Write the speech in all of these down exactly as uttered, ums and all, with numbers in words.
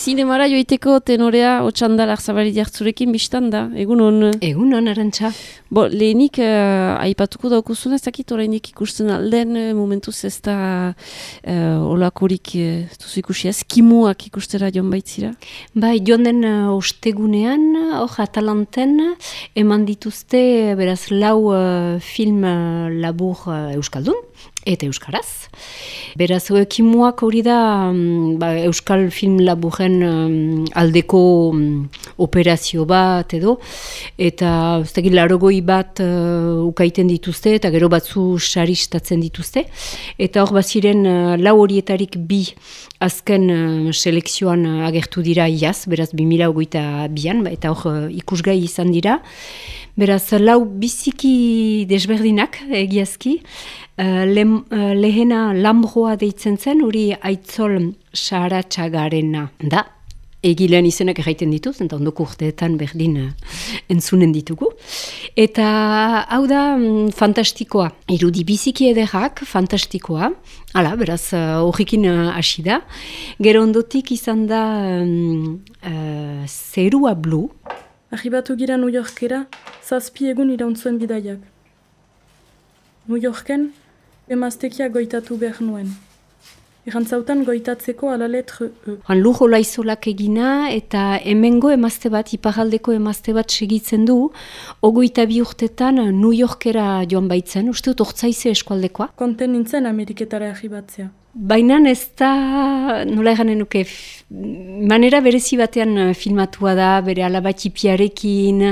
Zinemara joiteko tenorea Otsandar Arzabali jartzurekin biztan da, egunon. Egunon, Arantxa. Bo, lehenik uh, aipatuko daukuzun ez dakit orainik ikusten alden, momentuz ez da uh, olakorik uh, duzu ikusi ez, kimuak ikustera joan baitzira? Bai, joan den uh, ostegunean, hor Atalanten, eman dituzte, beraz, lau uh, film uh, labur uh, euskaldun, eta euskaraz. Beraz, kimuak hori da um, ba, euskal film laburren um, aldeko um, operazio bat edo, eta ez dakit larogoi bat uh, ukaiten dituzte, eta gero batzu saristatzen dituzte, eta hor baziren uh, lau horietarik bi azken uh, selekzioan uh, agertu dira iaz, beraz bi mila hogeita bian, eta hor uh, ikusgai izan dira. Beraz, lau biziki desberdinak egiazki, uh, le, uh, lehena Lambroa deitzen zen, hori Aitzol Saratxagarena da. Egilean izenak erraiten dituz, eta ondoko urteetan berdin uh, entzunen ditugu. Eta hau da um, fantastikoa, irudi biziki ederrak, fantastikoa, hala, beraz horrekin uh, hasi da. Gero ondotik izan da um, uh, Zerua Blue. Arribatu gira New Yorkera, zazpi egun irauntzuen bidaiak. New Yorken, emaztekia goitatu behar nuen. Erantzautan goitatzeko ala letre E. Han lujo laizolak egina eta hemengo emazte bat, iparaldeko emazte bat segitzen du, ogoita bi urtetan New Yorkera joan baitzen, uste dut ortsaize eskualdekoa. Konten nintzen Ameriketara arribatzea. Baina ez da, nola eganen nuke, manera berezi batean filmatua da, bere alabatxipiarekin,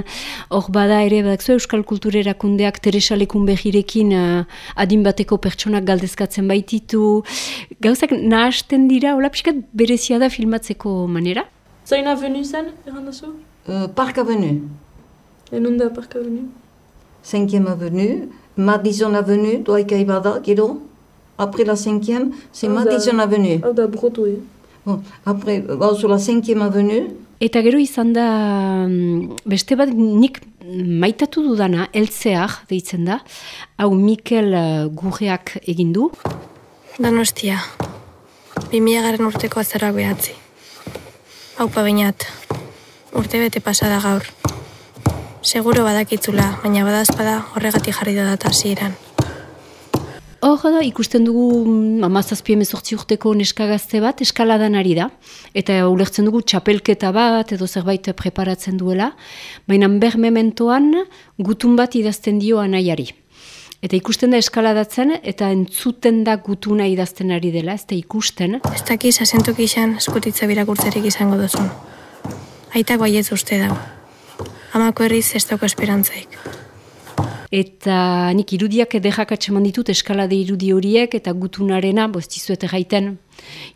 hor bada ere, badakzu euskal kulturerakundeak Teresa Lekunbegirekin adin bateko pertsonak galdezkatzen baititu. Gauzak nahasten dira, hola pixkat berezia da filmatzeko manera. Zain avenu zen, errandazu? Uh, Park Avenue. Enunda Park Avenue? Cinquième Avenue, Madison Avenue, doaika ibada, gero? Après la cinquième, c'est Madison Avenue. Hau da Broadway. Bon, après, bon, sur la cinquième avenue. Eta gero izan da, beste bat nik maitatu dudana, Eltzear deitzen da, hau Mikel Gurreak egin du. Donostia, bi mila garen urteko azaroak behatzi. Haupa bainat, urte bete pasada gaur. Seguro badakitzula, baina badazpada horregatik jarri da data hasieran. Hor da, ikusten dugu hamazazpi hemezortzi urteko neska gazte bat, eskaladan ari da, eta ulertzen dugu txapelketa bat edo zerbait preparatzen duela, baina ber mementoan gutun bat idazten dio anaiari. Eta ikusten da eskaladatzen, eta entzuten da gutuna idazten ari dela, ez da ikusten. Ez dakiz asentuk izan eskutitza birakurtzerik izango duzun. Aitak baietz uste dago. Amako herriz ez dauko esperantzaik. Eta nik irudiak ederrak atseman ditut eskalade irudi horiek eta gutunarena, bo ez dizuet erraiten,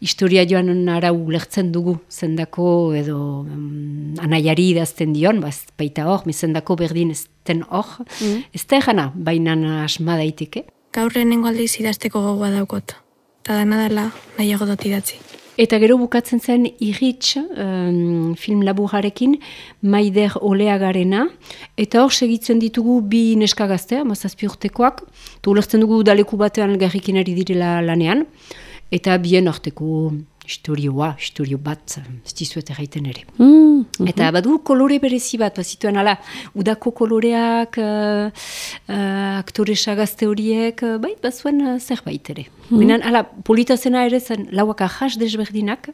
historia joan arau lertzen dugu zendako edo um, anaiari idazten dion, ba, baita hor, mezendako berdin ez den hor, mm. ez da egana, baina asma daiteke. Gaur lehenengo aldiz idazteko gogoa daukot, eta dana dela nahiago dut idatzi. Eta gero bukatzen zen Irritx um, film laburrarekin Maider Oleagarena, eta hor segitzen ditugu bi neska gaztea, mazazpi urtekoak, eta ulertzen dugu daleku batean garrikin ari direla lanean, eta bien arteko historioa, historio bat, ez dizuet erraiten ere. Mm, uh-huh. Eta badu kolore berezi bat, bazituen ala, udako koloreak, uh, uh, aktoresa gazte horiek, uh, bai, bazuen uh, zerbait ere. Mm. Benen, ala, polita zena ere zen lauak ahas desberdinak,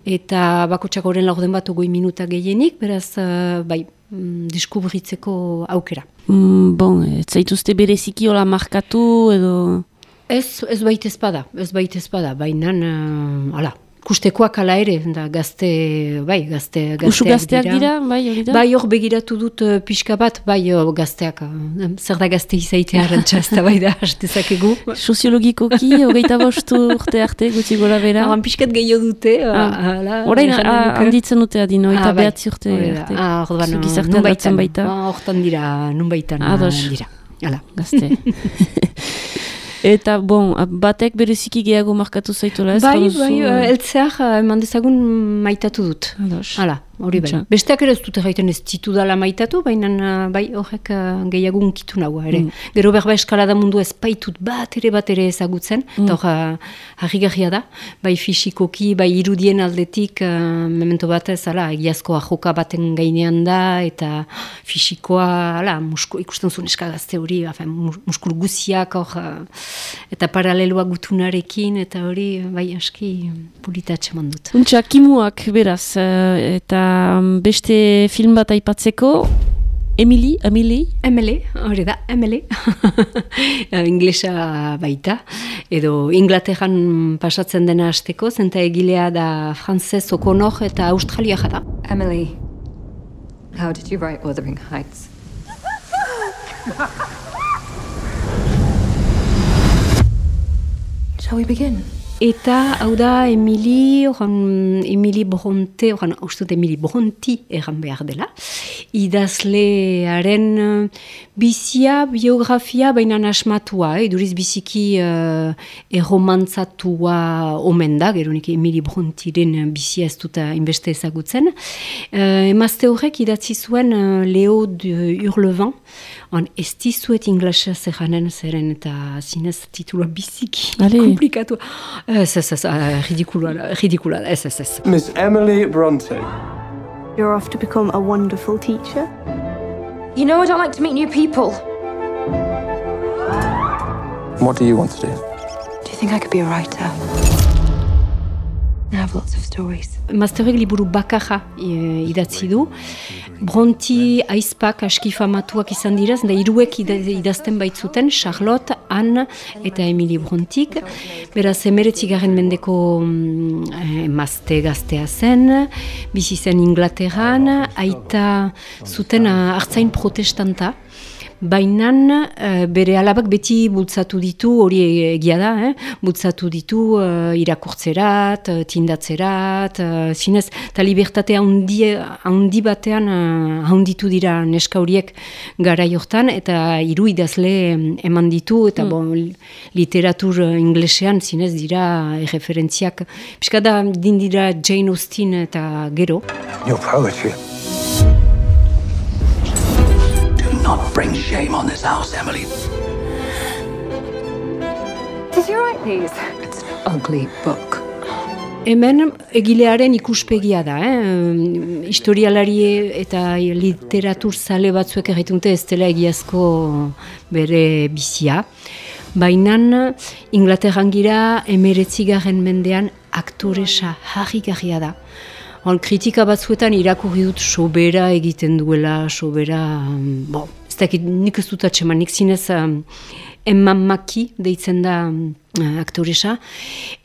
eta bakotxak horren laurden bat ogoi minuta gehienik, beraz, uh, bai, mm, deskubritzeko aukera. Mm, bon, ez zaituzte bereziki hola markatu edo... Ez, ez baita ezpada, ez baita ezpada, baina, uh, ala, kustekoak ala ere, da gazte, bai, gazte, gazteak Usu gazteak dira. dira, bai, hori da? Bai, hor begiratu dut uh, pixka bat, bai, uh, gazteak, uh, zer da gazte izaitea arantxa, ez da bai da, hastezakegu. Soziologikoki, hogeita bostu urte arte, gutxi gora bera. Horan pixkat gehiago dute, ah. ala. Horain, handitzen dute adino, eta ah, behatzi urte arte. Ah, hor da, nun baitan baita. Hortan dira, nun baitan dira. Hala, gazte. Eta, bon, batek bereziki gehiago markatu zaitola ez? Bai, bai, Eltzear eman dezagun maitatu dut. Ados. Hala, hori bai. Txa. Besteak ere ez dute gaiten ez ditu dala maitatu, baina bai horrek uh, gehiago unkitu nagoa ere. Mm. Gero berba eskalada mundu ez baitut bat ere bat ere ezagutzen, mm. eta hor harrigarria da, bai fisikoki, bai irudien aldetik, uh, memento batez, ala, egiazkoa joka baten gainean da, eta fisikoa, ala, musku, ikusten zuen eskagazte hori, afen, muskul guziak, hor, uh, eta paraleloa gutunarekin, eta hori, bai aski pulitatxe mandut. Untxa, kimuak beraz, eta beste film bat aipatzeko, Emily, Emily? Emily, hori da, Emily. Inglesa baita, edo Inglaterran pasatzen dena hasteko, zenta egilea da Frances O'Connor eta Australia jada. Emily, how did you write Wuthering Heights? Shall we begin? Eta, hau da, Emily, oran, Emily Bronte, oran, haustut Emily Bronte erran behar dela, idazlearen bizia, biografia, baina asmatua, eh, duriz biziki uh, erromantzatua omen da, gero nik Emily Bronteren bizia ez dut inbeste ezagutzen. Uh, emazte horrek idatzi zuen uh, Leo de Hurlevent, on ez dizuet inglesa zerranen zeren eta zinez titula biziki komplikatu. Ez, ez, ez, ridikula, ridikula, ez, ez, ez. Miss Emily Bronte. You're off to become a wonderful teacher. You know I don't like to meet new people. What do you want to do? Do you think I could be a writer? I have lots of stories. Mazterrek liburu bakarra e, idatzi du. Bronte aizpak aski famatuak izan diraz, da hiruek idazten baitzuten, Charlotte, Anne eta Emily Brontik. Beraz, emeretzigarren mendeko mm, emazte gaztea zen, bizi zen Inglaterran, aita zuten hartzain protestanta. Bainan, uh, bere alabak beti bultzatu ditu, hori egia da, eh? bultzatu ditu uh, irakurtzerat, uh, tindatzerat, uh, zinez, eta libertate handi, handi batean uh, handitu dira neska horiek garai hortan, eta hiru idazle eman ditu, eta mm. bon, literatur inglesean zinez dira referentziak. Piska da, din dira Jane Austen eta gero. Your poetry. Not bring shame on this house, Emily. Did you write these? It's an ugly book. Hemen egilearen ikuspegia da, eh? Historialari eta literatur zale batzuek erraitunte ez dela egiazko bere bizia. Baina Inglaterran gira emeretzigarren mendean aktoresa harrigarria da. On, kritika batzuetan irakurri dut sobera egiten duela, sobera, bon, ez dakit nik ez dut atxeman, nik zinez um, Emma Mackey deitzen da uh, aktoresa,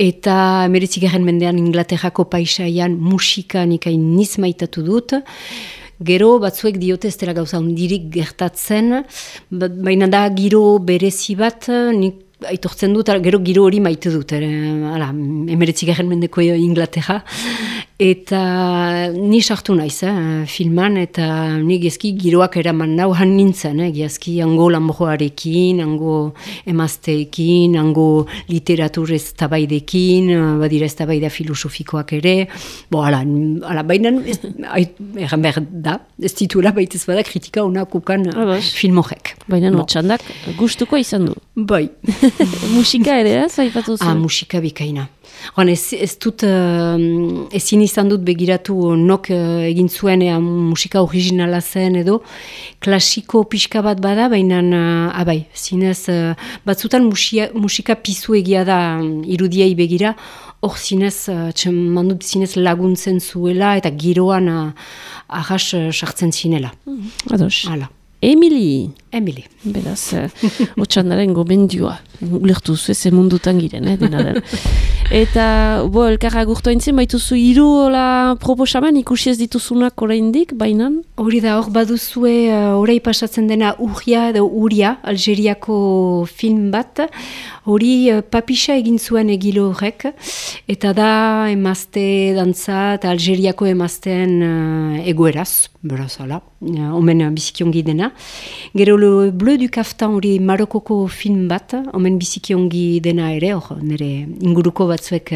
eta emeretzigarren mendean Inglaterrako paisaian musika nik hain niz maitatu dut. Gero batzuek diote ez dela gauza hundirik gertatzen, baina da giro berezi bat, nik aitortzen dut, gero giro hori maite dut, emeretzigarren mendeko Inglaterra, eta ni sartu naiz eh, filman, eta ni gezki giroak eraman nau han nintzen, eh, gezki hango lanbroarekin, hango emazteekin, hango literatur ez tabaidekin, badira ez tabaida filosofikoak ere, bo, ala, ala baina, erran behar da, ez tituela baitez bada kritika onakukan film horrek. Baina no, txandak gustuko izan du. Bai. Musika ere, ez? Aipatu zuen. Ah, musika bikaina. Horan, ez, ez dut, uh, ezin izan dut begiratu nok uh, egin zuen ea, musika originala zen edo, klasiko pixka bat bada, baina, uh, abai, zinez, uh, batzutan musia, musika pizu egia da um, irudiei begira, hor zinez, uh, mandut zinez laguntzen zuela, eta giroan uh, ahas uh, sartzen zinela. Mm, ados. Hala. Emily. Emily. Beraz, uh, otxandaren gomendioa. Ulertu zu ez mundutan giren, eh, dena den. Eta, bo, elkarra gurtu haintzen, baituzu hiru hola proposamen ikusi ez dituzunak oraindik, bainan? Hori da, hor baduzue, uh, orai pasatzen dena Urria edo Uria, Algeriako film bat, hori uh, papisa egin zuen egilo horrek, eta da emazte dantza eta Algeriako emazteen uh, egoeraz, beraz, hala, uh, omen bizikiongi dena. Gero Le Bleu du Kaftan hori Marokoko film bat, omen biziki ongi dena ere, hor nire inguruko batzuek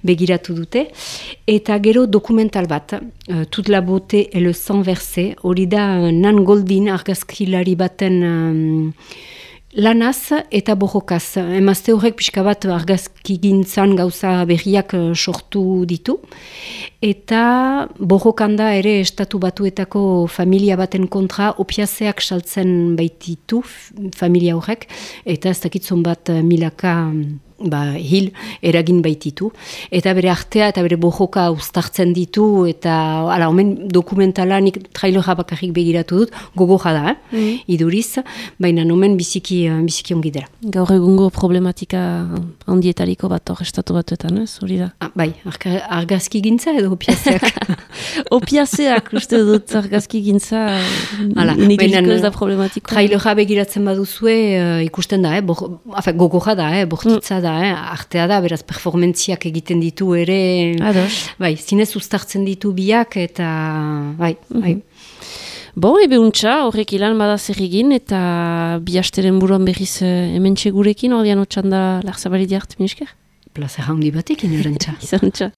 begiratu dute, eta gero dokumental bat, uh, Toute la beauté et le sang versé, hori da Nan Goldin argazkilari baten um, lanaz eta borrokaz. Emazte horrek pixka bat argazkigintzan gauza berriak sortu ditu. Eta borrokanda ere estatu batuetako familia baten kontra opiazeak saltzen baititu familia horrek. Eta ez dakitzon bat milaka ba, hil eragin baititu. Eta bere artea eta bere borroka uztartzen ditu. Eta ala, omen dokumentala nik trailera bakarrik begiratu dut. Gogoja da, eh? Mm. Iduriz. Baina omen biziki, biziki ongi dela. Gaur egungo problematika handietariko bat hor estatu batuetan, ez? Hori da. Ah, bai, argazki gintza edo opiazeak. Opiazeak, uste dut argazki gintza nik ez da problematiko. Trailera begiratzen baduzue uh, ikusten da, eh? Bor, afe, gogoja da, eh? Bortitza mm. da, eh? Artea da, beraz performentziak egiten ditu ere. Ados. Bai, zinez uztartzen ditu biak eta bai, mm-hmm. bai. Bo, ebe untxa, horrek ilan bada zer egin eta bi hasteren buruan berriz hemen txegurekin, ordean otxan da Larzabali diart, minisker? Plazer handi batekin erantza. Izan txa.